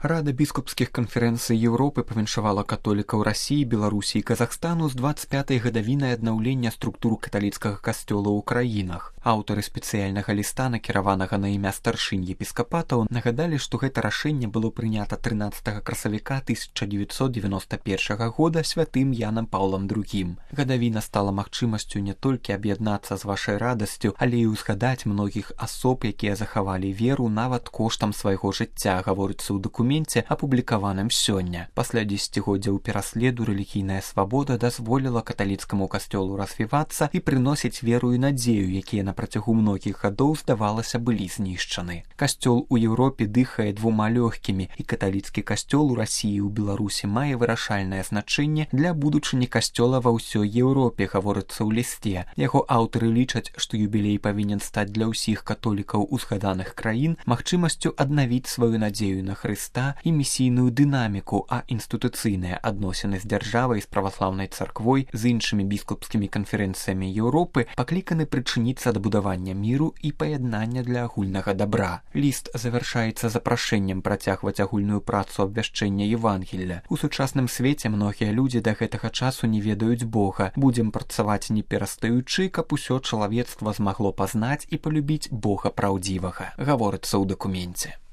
Рада біскупскіх канферэнцый Еўропы павіншавала католікаў Расіі, Беларусі і Казахстану з 25-й гадавінай аднаўлення структур каталіцкага касцёла ў краінах. Аўтары спецыяльнага ліста, накіраванага на імя старшынь епіскапатаў, нагадалі, што гэта рашэнне было прынята 13 красавіка 1991 года святым Янам Паўлам II. Гадавіна стала магчымасцю не толькі аб'яднацца з вашай радасцю, але і ўзгадаць многіх асоб, якія захавалі веру нават коштам свайго жыцця, гаворыцца ў дакуменце, апублікаваным сёння. Пасля дзесяцігоддзяў пераследу рэлігійная свабода дазволіла каталіцкаму касцёлу развівацца і прыносіць веру і надзею, якія на працягу многіх гадоў, здавалася, былі знішчаны. Касцёл у Еўропе дыхае двума лёгкімі, і каталіцкі касцёл у Расіі і ў Беларусі мае вырашальнае значэнне для будучыні касцёла ва ўсёй Еўропе, гаворыцца ў лісце. Яго аўтары лічаць, што юбілей павінен стаць для ўсіх католікаў узгаданых краін магчымасцю аднавіць сваю надзею на Хрыста і місійную дынаміку, а інстытуцыйныя адносіны з дзяржавай, з праваслаўнай царквой, з іншымі біскупскімі канферэнцыямі Еўропы пакліканы прычыніцца да будавання міру і паяднання для агульнага дабра. Ліст завяршаецца запрашэннем працягваць агульную працу абвяшчэння Евангелля. У сучасным свеце многія людзі да гэтага часу не ведаюць Бога. Будзем працаваць не перастаючы, каб усё чалавецтва змагло пазнаць і палюбіць Бога праўдзівага, гаворыцца ў дакуменце.